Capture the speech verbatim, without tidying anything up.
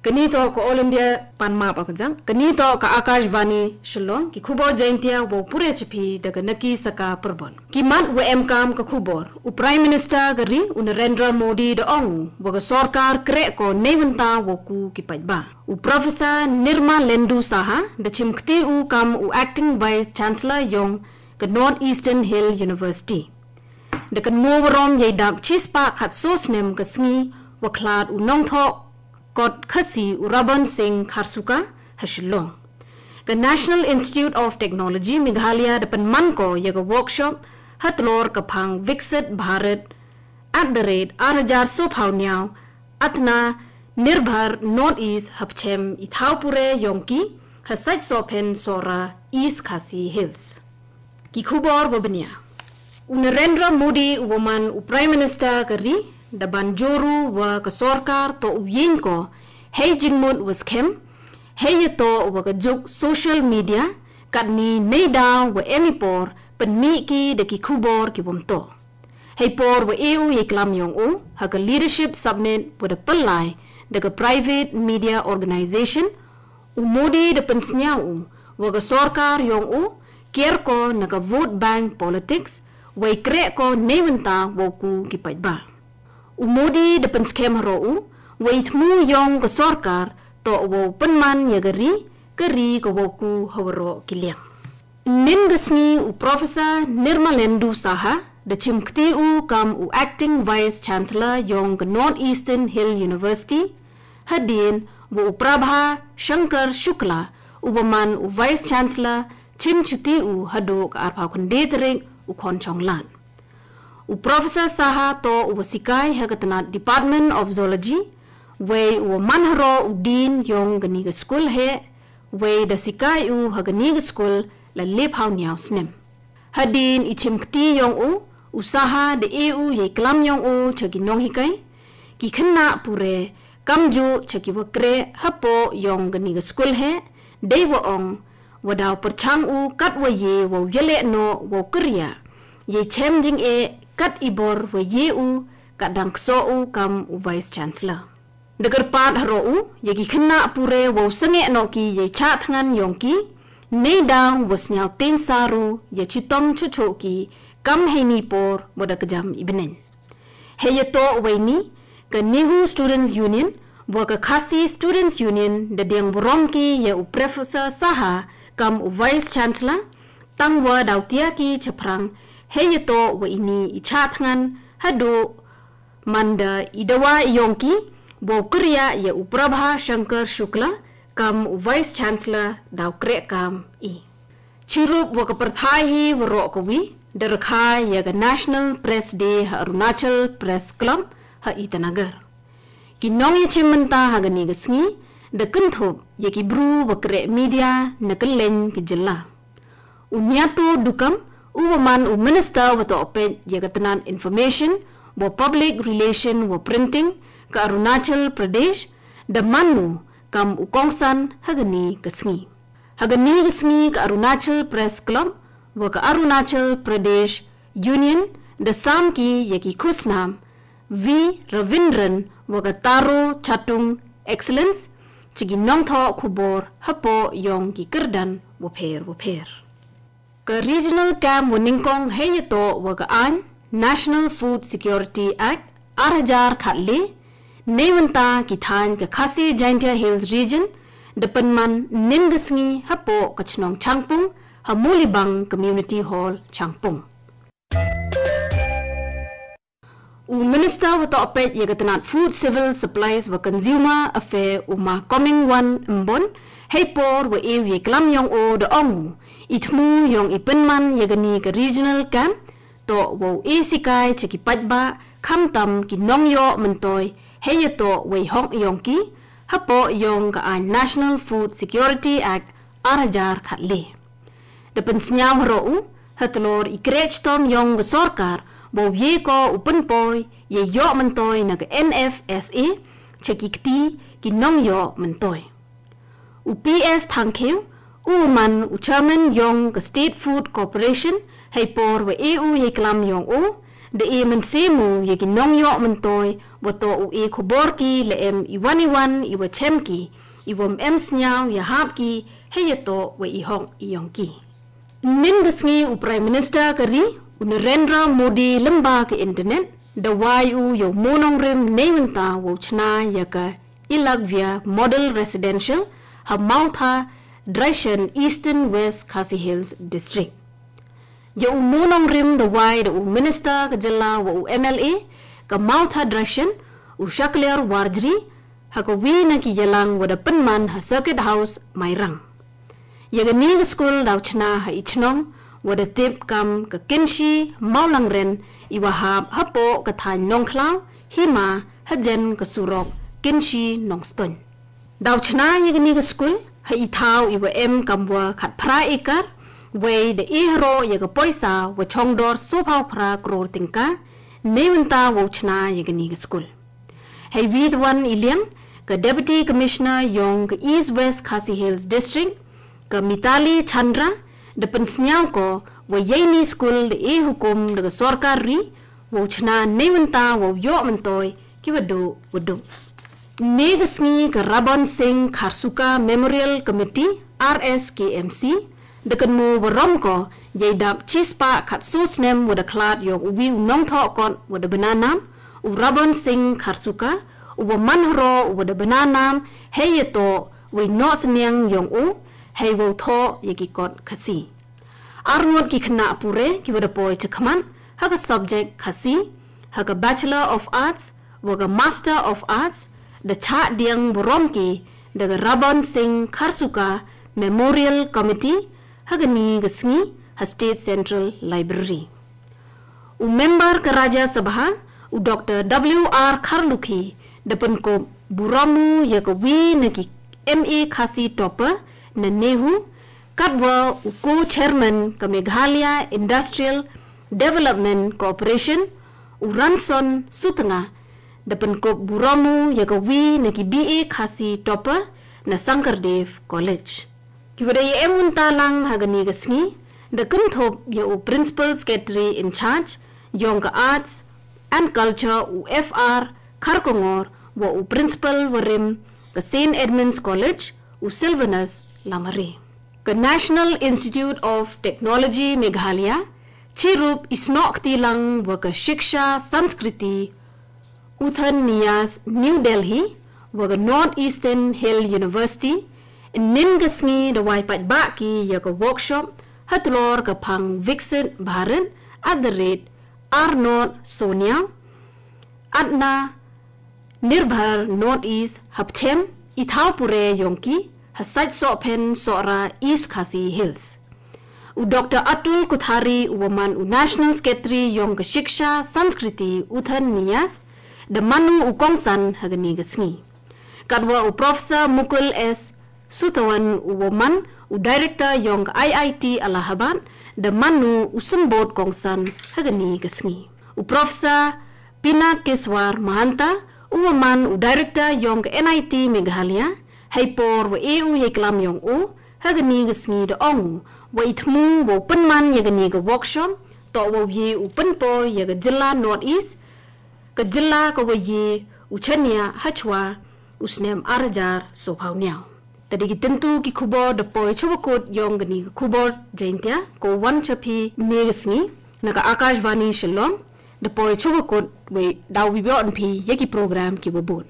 Kani to ka All India pan map akajang. Kani to ka Akashvani Shillong. Ki khubor Jaintia wow pure chipi daga naki saka perbon. Ki mat wa emkam ka khubor. U Prime Minister ka ri u Narendra Modi da ong u wa ka sorkar krek ko neiwenta wow ku ki paitba. U Professor Nirmalendu Saha da chimkti u kam u Acting Vice Chancellor yong ka North Eastern Hill University. Da kan mo warom yei dap chispa khat so snem ka sngi wa khlad u nongtho kot Khasi u Raban Singh Kharsuka ha Shillong. Ka National Institute of Technology Meghalaya da pan man ko ya ka workshop ha tlor ka phang Viksit Bharat at the rate ar hajar so phaw niaw Atma Nirbhar North East ha pchem i thau pure yong ki ha sait so phen sora East Khasi Hills. Ki khubor wa bania. U Narendra Modi u wa man u Prime Minister ka ri da ban joru wa ka sorkar to u yin ko hei jingmut wa skhem hei ya to wa ka juk social media kat ni nei da wa emi por pan mi ki da ki khubor ki wam to. Hei por wa e u ye klam yong u ha ka Leadership Summit wa da palai da ka private media organization U Modi da pynsñiaw u, wa ka sorkar yong u, kiar ko na ka vote bank politics, wei krek ko neiwynta wow ku ki paidbah. U Modi da pynskhem haro u, wei thmu yong ka sorkar, to wow pynman ya ka ri, ka ri ka wow ku hawaro ki liang. Nin ka sngi u Professor Nirmalendu Saha, da chimkti u kam u Acting Vice Chancellor yong ka North Eastern Hill University, hadien wa u Prabha Shankar Shukla, u wa man u Vice Chancellor, chim chuti u hadok arphaw khynde tarik u khon chonglan. U Professor Saha to u wa sikai ha ka tnat Department of Zoology, wei u wa man haro u dean yong ka ni ka skul he, wei da sikai u ha ka ni ka skul la liphaw niaw snem. Hadien i chimkti yong u, u Saha da e u yei klam yong u cha ki nonghikai, ki khynnah pure, kamju cha ki wa krek hapoh yong ka ni ka skul he, dei wa ong, wa daw pyrchang u kat wa ye wow yaleh noh wow kyrya, yei chem jingeh kat i bor wa ye u, kat dang kso u kam u Vice Chancellor. Da kyrpad haro u, ya ki khynnah pure wow sangeh noh ki yei chah thngan yong ki, nei dang wa sñiaw ten saru, ya chitong chuchu ki, kam hei ni por, wa da kjam i bneng. Hei ya to wei ni, ka Nehu Students Union, wa ka Khasi Students Union, da diang burom ki ya u Professor Saha, kam u Vice Chancellor, tang wa daw tia ki chaphrang, hei ya to wei ni i chah thngan, hadu, manda i dawa i yong ki, wow kyrya ya u Prabha Shankar Shukla, kam u Vice Chancellor, daw krek kam i. Chirup wa ka pyrthai hi wa roh ka wi, da rkha ya ka National Press Day ha Arunachal Press Club ha Itanagar. Ki nong ya chim mynta ha ka ni ka sngi, da kynthup ya ki bru wa krek media na kylleng ki jylla. U Niatu Dukam, u wa man u Minister wa toh peit ya ka tnat Information, wa Public Relation, wa Printing, ka Arunachal Pradesh, da man u kam u kongsan ha ka ni ka sngi. Ha ka ni ka sngi ka Arunachal Press Club, wa ka Arunachal Pradesh Union, da sam ki ya ki khusnam, V Ravindran, wa ka Taro Chatung Excellence, cha ki nongthoh khubor, hapoh yong ki kyrdan, wa pher, wa pher. Ka regional camp wa nyngkong hei ya to wa ka ain National Food Security Act ar hajar khatle, neiwynta ki thain ka Khasi Jaintia Hills Region, da pynman nin ka sngi hapoh ka chnong Changpung, ha Mulibang Community Hall Changpung. U Minister wa toh peit ya ka tnat Food, Civil Supplies wa Consumer Affair u Ma Comingone Ymbon, hei por wa e u yei klam yong u da ong u, i thmu yong i pynman ya ka ni ka regional camp, to wow e sikai cha ki paidbah, khamtam ki nongyoh myntoi, hei ya to wei hok yong ki, hapoh yong ka ain National Food Security Act ar hajar khatle. Da pynsñiaw haro u, ha tlor i krek chitom yong ka sorkar, wow ye ko u pynpoi, yei yoh myntoi na ka N F S A, cha ki kti, ki nongyoh myntoi. U P S Thangkhiew, u wa man u chairman yong ka State Food Corporation, hei por wa e u yei klam yong u, De e mensemo yagi nongyok mentoi, wato u e koborki le'em iwan iwan iwa chemki, iwa mem snyao ya hapki, heyato wa ihok iyongki. Nin gasngi u Prime Minister kari, u Narendra Modi lemba ke internet, da wai u yo monong rim neiwenta wo chna yaka Ilagvia Model Residential, ha Mautha, Draishan, Eastern West Khasi Hills District. Ya u monong rim da wai da u minister ka jilla wa u M L A ka Mautha Draishan u Shakliar Warjri ha ka wi na ki yalang wa da penman ha Circuit House Mairang. Ya ka ni ka school dau chna ha i chnong wa da tip kam ka kinshi maulang ren i wa hap ha po ka thain nongkhlaw hima ha jen ka surok kinshi nongstoin. Dau chna ya ka ni ka school, ha i thau i wa em kam wa khat phra ekar, wei da e haro ya ka poisa wa chongdor so phau phra crore tingka, neiwenta wa u chna ya ka ni ka school. Hei wid wan i liang, ka Deputy Commissioner yong ka East West Khasi Hills District, ka Mitali Chandra, da pensnyao ko, wa yei ni school da e hukum da ka sorkar ri, wa u chna neiwenta wa u yo mentoi, ki wa du, wa du. Ni ka sngi ka Rabon Singh Kharsuka Memorial Committee, R S K M C, da kan mu wa rom ko, yei dap chispah khat so snem wa da khlad yok u wi u nongtho kot wa da bana nam, u Rabon Singh Kharsuka, u wa man haro u wa da bana nam, hei ya to, wi no sniang yong u, hei wa u tho ya ki kot Khasi. Arngot ki khna pure ki wa da poi chakhmat, ha ka subject Khasi, ha ka Bachelor of Arts, wa ka Master of Arts, da cha diang burom ki, da ka Rabon Singh Kharsuka Memorial Committee, ha ka ni ka sngi, ha State Central Library. U member ka Rajya Sabha, u Doctor W R Kharlukhi, da penkup burom u ya ka wi na ki M A Khasi topper na NEHU, katwa u co-chairman ka Meghalaya Industrial Development Corporation, u Ranson Sutnga, da penkup burom u ya ka wi na ki B A Khasi topper na Sankardev College. Ki wa da ya em unta lang ha ka ni ka sngi, da kynthup ya u Principal Secretary in Charge, yong ka Arts and Culture u F R Kharkongor, wa u Principal wa rim ka Saint Edmund's College, u Sylvanus Lamare. Ka National Institute of Technology Meghalaya, chirup i snok ti lang wa ka Shiksha Sanskriti Uthan Nyas New Delhi, wa ka North Eastern Hill University, nin ka sngi da wai pat ba ki ya ka workshop, ha tlor ka phang Viksit Bharat at the rate R North Sonia, Atma Nirbhar North East hapthem, i thau pure yong ki, ha sait so phen so ra East Khasi Hills. U Doctor Atul Kothari u wa man u National Secretary yong ka Shiksha Sanskriti Uthan Nyas, da man u u kongsan ha ka ni ka sngi. Katwa u Professor Mukul S Sutawan u wa man u Director yong ka I I T Allahabad, da man u u symbod kongsan ha ka ni ka sngi. U Professor Pinakeswar Mahanta, u wa man u Director yong ka N I T Meghalaya, hei por wa e u yei klam yong u, ha ka ni ka sngi da ong u, wa i thmu wa u penman ya ka ni ka workshop, to wa u ye u penpo ya ka jylla North East, ka jylla ka wa ye u chania ha chwa u snem ar hajar so phau niao. Ta di ki tyntu ki khubor da poi chwa kut yong ka ni ka khubor Jaintia, ko wan cha phi ni ka sngi, na ka Akashvani Shillong, da poi chwa kut wei dau wi bion phi ya ki program ki wa bun.